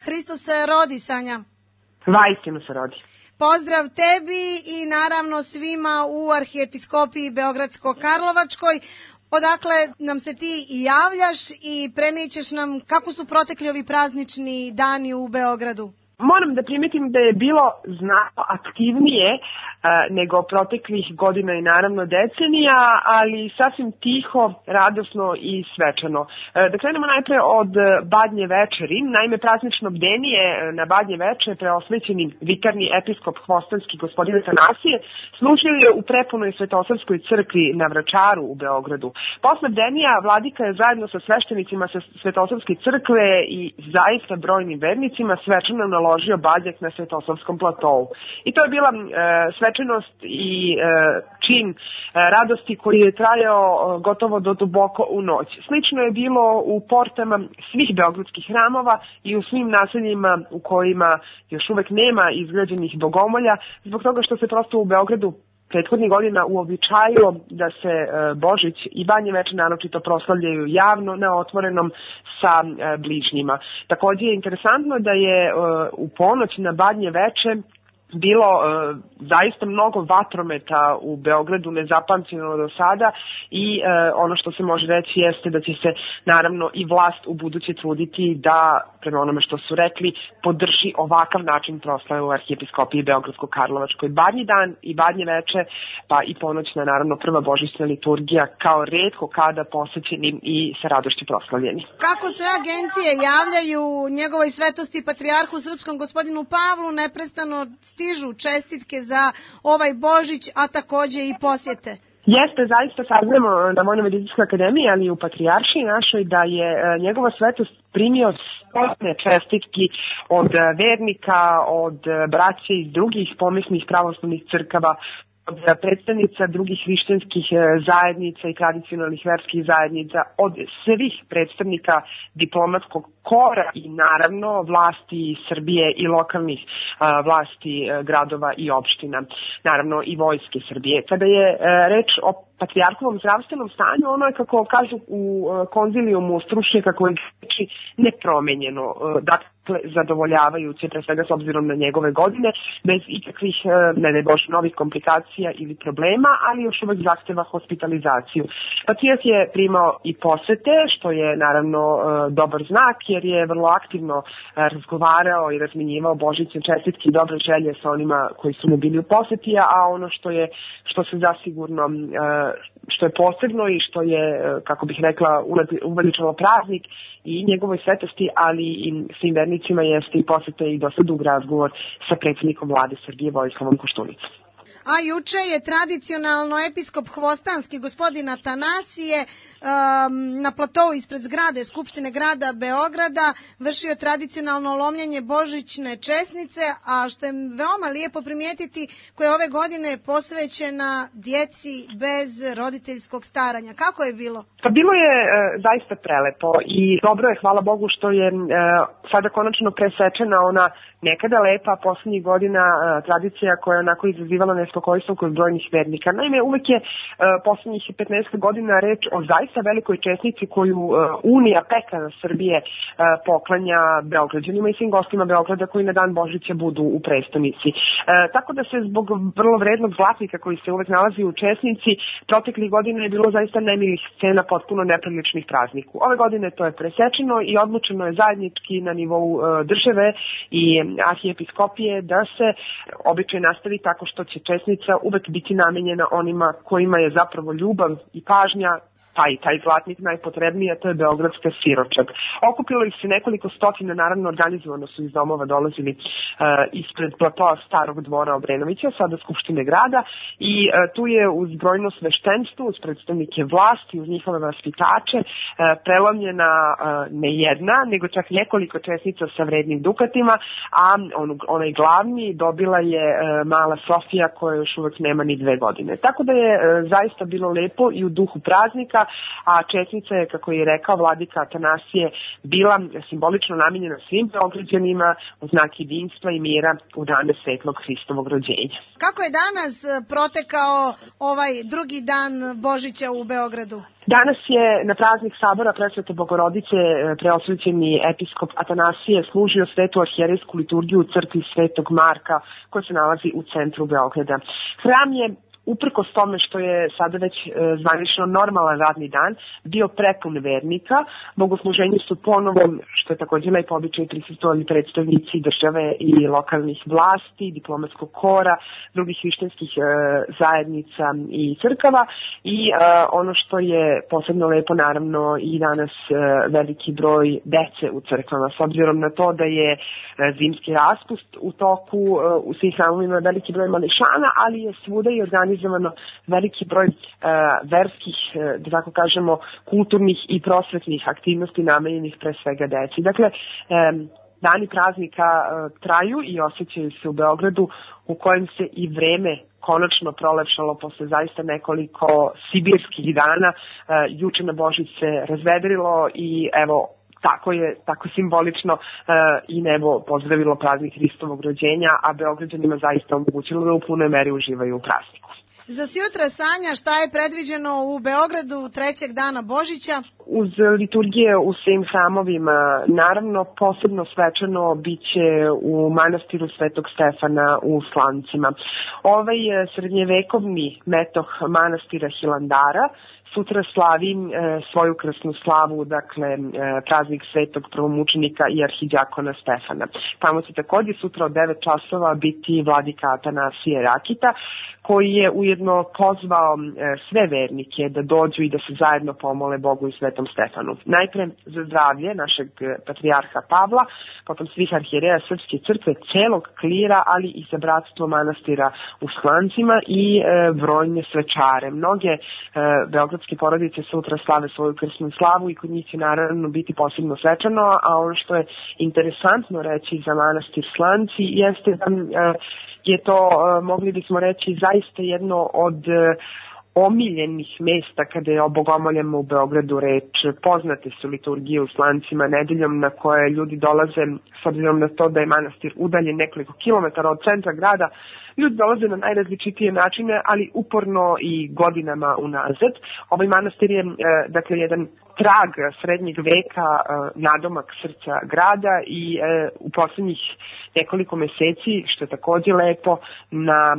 Hristos se rodi, Sanja. Vaistinu se rodi. Pozdrav tebi i naravno svima u Arhijepiskopiji Beogradsko-Karlovačkoj. Odakle nam se ti i javljaš i prenijećeš nam kako su protekli ovi praznični dani u Beogradu? Moram da primetim da je bilo znatno aktivnije nego proteklih godina i naravno decenija, ali sasvim tiho, radosno i svečano. Da krenemo najpre od Badnje večeri. Naime, praznično bdenije na Badnje veče preosvećeni vikarni episkop Hvostanski gospodin Atanasije služio je u prepunoj Svetosavskoj crkvi na Vračaru u Beogradu. Posle bdenija vladika je zajedno sa sveštenicima sa Svetosavske crkve i zaista brojnim vernicima svečano naložio badnjak na Svetosavskom platovu. I to je bila svečanost i čin radosti koji je trajao gotovo do duboko u noć. Slično je bilo u portama svih beogradskih hramova i u svim naseljima u kojima još uvek nema izgrađenih bogomolja, zbog toga što se prosto u Beogradu prethodnih godina uobičajilo da se Božić i Badnje veče naročito proslavljaju javno na otvorenom sa bližnjima. Također je interesantno da je u ponoć na Badnje veče bilo zaista mnogo vatrometa u Beogradu, nezapamćeno do sada i ono što se može reći jeste da će se naravno i vlast u buduće truditi da, prema onome što su rekli, podrži ovakav način proslave u Arhijepiskopiji Beogradsko-Karlovačkoj. Badnji dan i Badnje veče, pa i ponoćna naravno prva božićna liturgija kao retko kada posećeni i sa radošću proslavljeni. Kako sve agencije javljaju njegovoj svetosti patrijarhu srpskom gospodinu Pavlu, neprestano stižu čestitke za ovaj Božić, a takođe i posjete. Jeste, zaista saznamo na Vojno-medicinskoj akademiji, ali i u Patrijaršiji našoj, da je njegova svetost primio stotine čestitki od vernika, od braće iz drugih pomisnih pravoslavnih crkava, od predstavnica drugih hrišćanskih zajednica i tradicionalnih verskih zajednica, od svih predstavnika diplomatskog kora i naravno vlasti Srbije i lokalnih vlasti gradova i opština, naravno i vojske Srbije. Kada je reč o patrijarhovom zdravstvenom stanju, ono je, kako kažu u konzilijumu stručnjaka koji reči, nepromenjeno, dakle zadovoljavajuće, pre svega s obzirom na njegove godine, bez ikakvih, ne daj Bože, novih komplikacija ili problema, ali još uvek zahteva hospitalizaciju. Patrijarh je primao i posete, što je naravno dobar znak, jer je vrlo aktivno razgovarao i razmenjivao božićne čestitke i dobre želje sa onima koji su mu bili u poseti, a ono što se zasigurno što je posebno i što je, kako bih rekla, uveličalo praznik i njegovoj svetosti, ali i svim vernicima, jeste i posete i dosta dug razgovor sa predsjednikom vlade Srbije Vojislavom Koštunicom. A juče je tradicionalno episkop Hvostanski gospodin Atanasije na platovu ispred zgrade Skupštine grada Beograda vršio tradicionalno lomljenje božićne česnice, a što je veoma lijepo primijetiti, koja je ove godine posvećena djeci bez roditeljskog staranja. Kako je bilo? Pa bilo je zaista prelepo i dobro je, hvala Bogu, što je sada konačno presečena ona nekada lepa poslednjih godina tradicija koja je onako izazivala nespokojstvo kod brojnih vernika. Naime, uvek je poslednjih 15 godina reč o zaista velikoj česnici koju Unija pekara Srbije poklanja Beograđanima i svim gostima Beograda koji na dan Božića budu u prestonici. Tako da se zbog vrlo vrednog zlatnika koji se uvek nalazi u česnici, proteklih godina je bilo zaista nemilih scena potpuno nepriličnih prazniku. Ove godine to je presečeno i odlučeno je zajednički na nivou države i arhijepiskopije da se običaj nastavi tako što će česnica uvek biti namenjena onima kojima je zapravo ljubav i pažnja, pa i taj zlatnik najpotrebniji, a to je beogradska siročad. Okupilo ih se nekoliko stotina, naravno organizovano su iz domova dolazili ispred platoa Starog dvora Obrenovića, sada Skupštine grada, i tu je uz brojno sveštenstvo, uz predstavnike vlasti, uz njihove vaspitače, prelomljena ne jedna, nego čak nekoliko česnica sa vrednim dukatima, a onaj glavni dobila je mala Sofija koja još uvek nema ni 2 godine. Tako da je zaista bilo lepo i u duhu praznika a česnica je, kako je rekao vladika Atanasije, bila simbolično namenjena svim Beograđanima u znak jedinstva i mira u dane Svetlog Hristovog rođenja. Kako je danas protekao ovaj drugi dan Božića u Beogradu? Danas je na praznik Sabora Presvete Bogorodice preosvećeni episkop Atanasije služio svetu arhijerejsku liturgiju u crkvi Svetog Marka koja se nalazi u centru Beograda. Hram je, uprkos tome što je sada već zvanično normalan radni dan, bio prepun vernika. Bogosluženju su ponovo, što je također lepo običaj, prisustvovali predstavnici države i lokalnih vlasti, diplomatskog kora, drugih hrišćanskih zajednica i crkava i ono što je posebno lepo, naravno, i danas veliki broj dece u crkvama, s obzirom na to da je zimski raspust u toku, u svih hramovima veliki broj mališana, ali je svuda i organizovano veliki broj verskih, da tako kažemo, kulturnih i prosvetnih aktivnosti namenjenih pre svega deci. Dakle, dani praznika traju i osjećaju se u Beogradu, u kojem se i vreme konačno prolepšalo posle zaista nekoliko sibirskih dana. Juče na Božić se razvedrilo i evo, tako simbolično i nebo pozdravilo praznik Hristovog rođenja, a Beograđanima zaista omogućilo da u punoj meri uživaju u prazniku. Za sutra, Sanja, šta je predviđeno u Beogradu trećeg dana Božića? Uz liturgije u svim hramovima, naravno posebno svečano biće u manastiru Svetog Stefana u Slancima. Ovaj srednjevekovni metoh manastira Hilandara sutra slavi svoju krsnu slavu, dakle praznik svetog prvomučenika i arhidjakona Stefana. Tamo će također sutra od 9 časova biti vladika Atanasije Rakita, koji je ujedno pozvao sve vernike da dođu i da se zajedno pomole Bogu i Svetom Stefanu. Najpre za zdravlje našeg patrijarha Pavla, potom svih arhijereja Srpske crkve, celog klira, ali i za bratstvo manastira u Slancima i brojne svečare. Mnoge beogradske porodice sutra slave svoju krsnu slavu i kod njih će naravno biti posebno svečano, a ono što je interesantno reći za manastir Slanci jeste da je to, mogli bismo reći, zaista jedno od omiljenih mesta kada je o bogomoljama u Beogradu reč. Poznate su liturgije u Slancima nedeljom na koje ljudi dolaze, s obzirom na to da je manastir udaljen nekoliko kilometara od centra grada, ljudi dolaze na najrazličitije načine, ali uporno i godinama unazad. Ovaj manastir je, dakle, jedan trag srednjeg veka, nadomak srca grada i u poslednjih nekoliko meseci, što je također lepo, na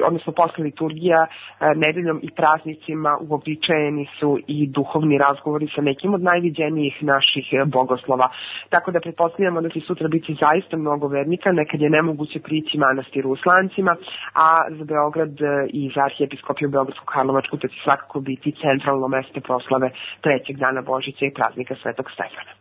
odnosno posle liturgija nedeljom i praznicima uobičajeni su i duhovni razgovori sa nekim od najviđenijih naših bogoslova. Tako da pretpostavljamo da će sutra biti zaista mnogo vernika, nekad je nemoguće prići manastiru u Slancima, a za Beograd i za arhijepiskopiju Beogradsko-Karlovačku to će svakako biti centralno mesto proslave trećeg dana Božića i praznika Svetog Stefana.